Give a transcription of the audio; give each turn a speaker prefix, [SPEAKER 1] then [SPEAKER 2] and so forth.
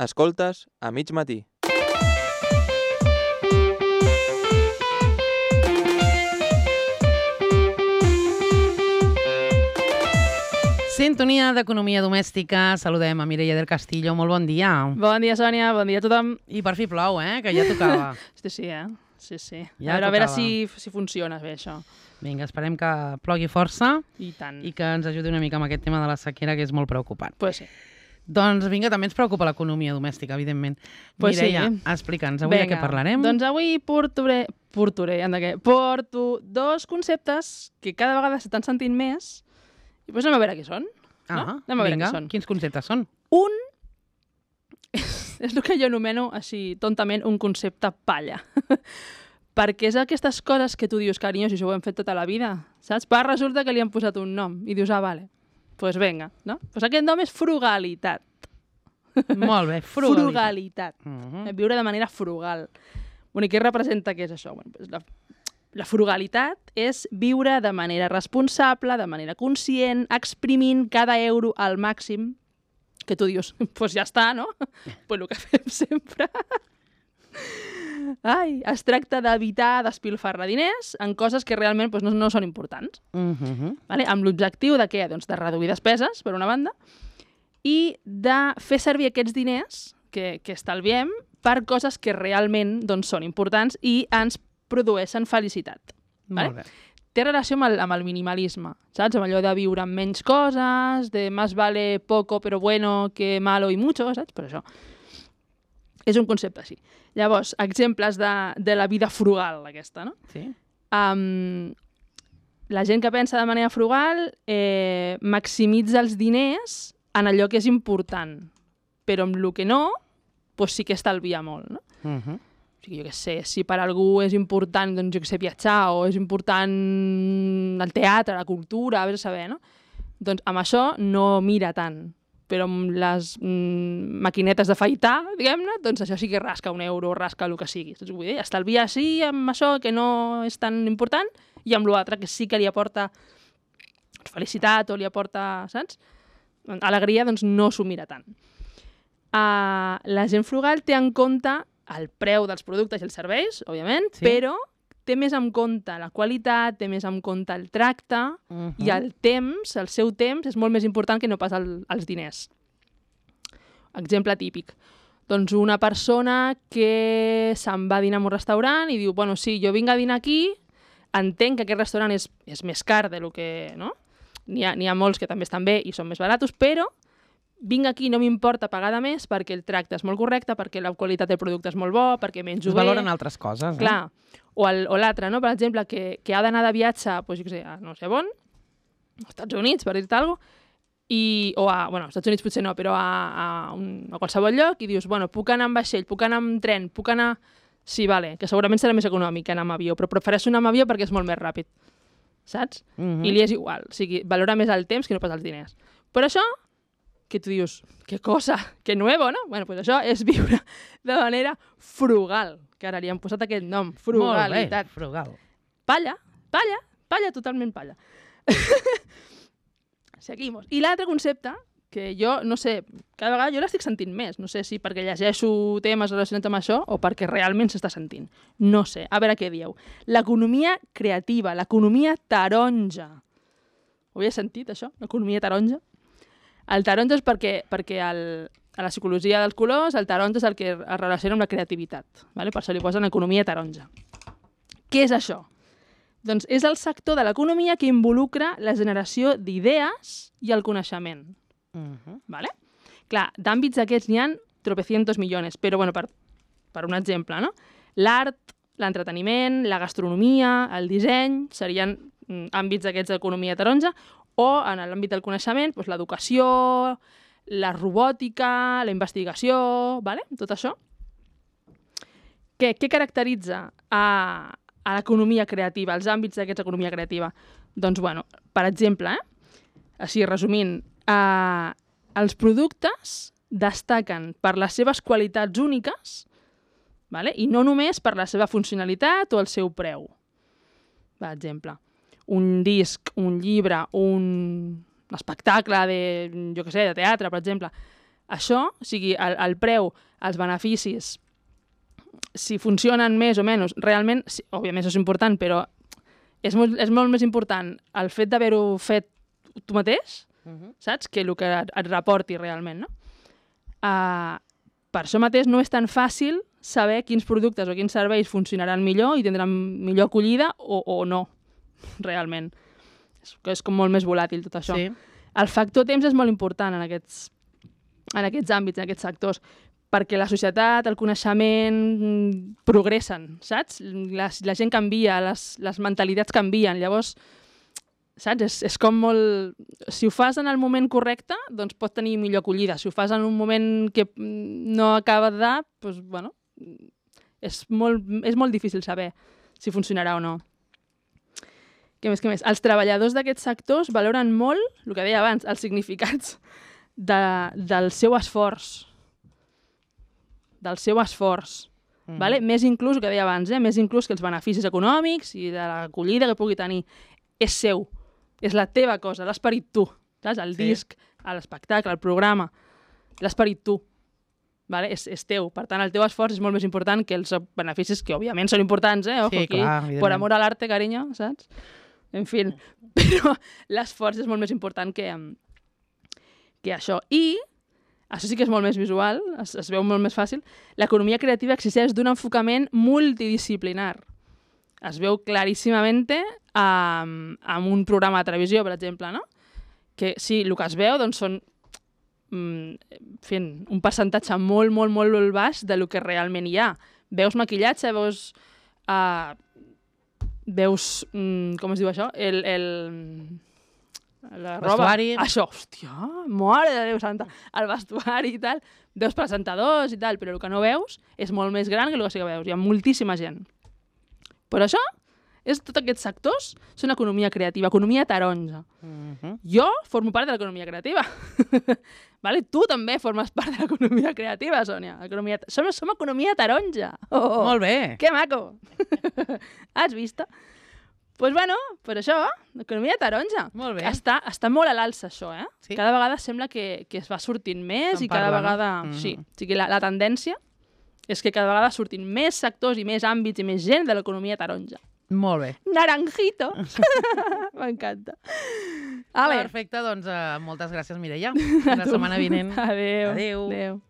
[SPEAKER 1] Escoltes a mig matí.
[SPEAKER 2] Sintonia d'Economia Domèstica. Saludem a Mireia del Castillo. Molt bon dia.
[SPEAKER 3] Bon dia, Sònia. Bon dia a tothom.
[SPEAKER 2] I per fi plou, que ja tocava.
[SPEAKER 3] Sí, Sí.
[SPEAKER 2] Ja
[SPEAKER 3] a veure
[SPEAKER 2] tocava.
[SPEAKER 3] si funciona bé, això.
[SPEAKER 2] Vinga, esperem que plogui força
[SPEAKER 3] I tant.
[SPEAKER 2] i que ens ajudi una mica amb aquest tema de la sequera, que és molt preocupant.
[SPEAKER 3] Pues sí.
[SPEAKER 2] Doncs vinga, també ens preocupa l'economia domèstica, evidentment.
[SPEAKER 3] Pues
[SPEAKER 2] Mireia,
[SPEAKER 3] sí.
[SPEAKER 2] explica'ns, avui de què parlarem?
[SPEAKER 3] Doncs avui porto dos conceptes que cada vegada s'estan sentint més i doncs anem a veure què són. No? Anem a veure
[SPEAKER 2] vinga,
[SPEAKER 3] què són.
[SPEAKER 2] quins conceptes són?
[SPEAKER 3] Un és el que jo anomeno, així, tontament, un concepte palla. Perquè és aquestes coses que tu dius, carinyo, si això ho hem fet tota la vida, saps? Però resulta que li han posat un nom i dius, vale, pues venga, no? Pues aquest nom és frugalitat.
[SPEAKER 2] Molt bé, frugalitat.
[SPEAKER 3] Viure de manera frugal. Bueno, i què representa què és això? Bueno, pues la frugalitat és viure de manera responsable, de manera conscient, exprimint cada euro al màxim, que tu dius, pues ja està, no? Pues el que fem sempre. Es tracta d'evitar despilfarrar diners en coses que realment pues, no són importants. Vale? Amb l'objectiu de què? Doncs de reduir despeses, per una banda, i de fer servir aquests diners que estalviem per coses que realment doncs, són importants i ens produeixen felicitat.
[SPEAKER 2] Molt bé.
[SPEAKER 3] Té relació amb el minimalisme, saps? Amb allò de viure amb menys coses, de más vale poco pero bueno que malo y mucho, saps? Per això. És un concepte així. Llavors, exemples de la vida frugal, aquesta, no?
[SPEAKER 2] Sí.
[SPEAKER 3] La gent que pensa de manera frugal maximitza els diners en allò que és important, però amb el que no, doncs sí que estalvia molt, no? O sigui, jo què sé, si per algú és important, doncs jo què sé, viatjar, o és important el teatre, la cultura, a saber, no? Doncs amb això no mira tant, però amb les maquinetes d'afaitar, diguem-ne, doncs això sí que rasca un euro, rasca el que sigui. Vull dir, estalvia sí amb això que no és tan important i amb l'altre que sí que li aporta felicitat o li aporta, saps? Alegria, doncs no s'ho mira tant. La gent frugal té en compte el preu dels productes i els serveis, òbviament, sí. Però té més en compte la qualitat, té més en compte el tracte i el temps, el seu temps, és molt més important que no pas els diners. Exemple típic. Doncs una persona que se'n va a dinar en un restaurant i diu, bueno, sí, jo vinc a dinar aquí, entenc que aquest restaurant és més car de lo que... No? N'hi ha molts que també estan bé i són més baratos, però vinc aquí, no m'importa pagar de més perquè el tracte és molt correcte, perquè la qualitat del producte és molt bo, perquè menjo bé...
[SPEAKER 2] Es valoren altres coses,
[SPEAKER 3] Clar. O l'altre, no? Per exemple, que ha d'anar de viatge, doncs, jo què sé, a no sé on, als Estats Units, per dir-te alguna cosa, als Estats Units potser no, però a qualsevol lloc, i dius, bueno, puc anar amb vaixell, puc anar amb tren, puc anar... Sí, vale, que segurament serà més econòmic que anar amb avió, però prefereixo anar amb avió perquè és molt més ràpid, saps? I li és igual, o sigui, valora més el temps que no pas els diners. Però això, que tu dius, que cosa, que nuevo, no? Bueno, doncs això és viure de manera frugal, que ara li han posat aquest nom, frugalitat.
[SPEAKER 2] Molt bé, frugal.
[SPEAKER 3] Palla, totalment palla. Seguimos. I l'altre concepte, que jo, no sé, cada vegada jo l'estic sentint més, no sé si perquè llegeixo temes relacionats amb això o perquè realment s'està sentint. No sé, a veure què dieu. L'economia creativa, l'economia taronja. Ho havia sentit, això? L'economia taronja? El taronja és perquè a la psicologia dels colors el taronja és el que es relaciona amb la creativitat. Vale? Per això li posen economia taronja. Què és això? Doncs és el sector de l'economia que involucra la generació d'idees i el coneixement. Vale? Clar, d'àmbits aquests n'hi ha tropecientos millones, però bueno, per un exemple, no? L'art, l'entreteniment, la gastronomia, el disseny serien àmbits aquests d'economia taronja, o en l'àmbit del coneixement, doncs l'educació, la robòtica, la investigació, vale? Tot això. Què caracteritza a l'economia creativa, els àmbits d'aquesta economia creativa? Doncs, bueno, per exemple, així resumint, els productes destaquen per les seves qualitats úniques, vale? I no només per la seva funcionalitat o el seu preu. Per exemple, un disc, un llibre, un espectacle de, jo què sé, de teatre, per exemple, Això, o sigui, el preu, els beneficis, si funcionen més o menys, realment, sí, òbviament això és important, però és molt més important el fet d'haver-ho fet tu mateix, saps? Que el que et reporti realment, no? Per això mateix no és tan fàcil saber quins productes o quins serveis funcionaran millor i tindran millor acollida o no, realment. És com molt més volàtil tot això.
[SPEAKER 2] Sí.
[SPEAKER 3] El factor temps és molt important en aquests àmbits, en aquests sectors, perquè la societat, el coneixement progressen, saps? La gent canvia, les mentalitats canvien, llavors, saps? És com molt... Si ho fas en el moment correcte, doncs pot tenir millor acollida. Si ho fas en un moment que no acaba de dar, doncs, bueno, és molt difícil saber si funcionarà o no. Què més? Els treballadors d'aquests sectors valoren molt, el que deia abans, els significats del seu esforç. Vale? Més inclús, el que deia abans, més inclús que els beneficis econòmics i de l'acollida que pugui tenir. És seu, és la teva cosa, l'esperit tu. Saps? El disc, l'espectacle, el programa, l'esperit tu. Vale? És teu. Per tant, el teu esforç és molt més important que els beneficis, que òbviament són importants, Ojo,
[SPEAKER 2] sí,
[SPEAKER 3] aquí,
[SPEAKER 2] clar,
[SPEAKER 3] por amor a l'arte, carinyo, saps? En fi, però l'esforç és molt més important que això. I, això sí que és molt més visual, es veu molt més fàcil, l'economia creativa exigeix d'un enfocament multidisciplinar. Es veu claríssimament amb un programa de televisió, per exemple, no? Que sí, el que es veu doncs, són fent un percentatge molt, molt, molt baix del que realment hi ha. Veus maquillatge, veus, com es diu això? La roba.
[SPEAKER 2] Vestuari.
[SPEAKER 3] Això, hòstia, mare de Déu santa. El vestuari i tal. Veus presentadors i tal, però el que no veus és molt més gran que el que sí que veus. Hi ha moltíssima gent. Però això, tots aquests sectors són economia creativa, economia taronja. Jo formo part de l'economia creativa. Vale? Tu també formes part de l'economia creativa, Sònia. Som economia taronja.
[SPEAKER 2] Molt bé.
[SPEAKER 3] Que maco. Has vist? Doncs bueno, per això, l'economia taronja.
[SPEAKER 2] Molt bé.
[SPEAKER 3] Està molt a l'alça, això,
[SPEAKER 2] Sí.
[SPEAKER 3] Cada vegada sembla que es va sortint més
[SPEAKER 2] Se'n
[SPEAKER 3] i cada
[SPEAKER 2] parla, no?
[SPEAKER 3] vegada... Sí, o sigui, la tendència és que cada vegada surtin més sectors i més àmbits i més gent de l'economia taronja.
[SPEAKER 2] Molt bé.
[SPEAKER 3] Naranjito! M'encanta. Ale.
[SPEAKER 2] Perfecte, doncs moltes gràcies, Mireia. Fins la setmana vinent.
[SPEAKER 3] Adéu.
[SPEAKER 2] Adéu.
[SPEAKER 3] Adéu.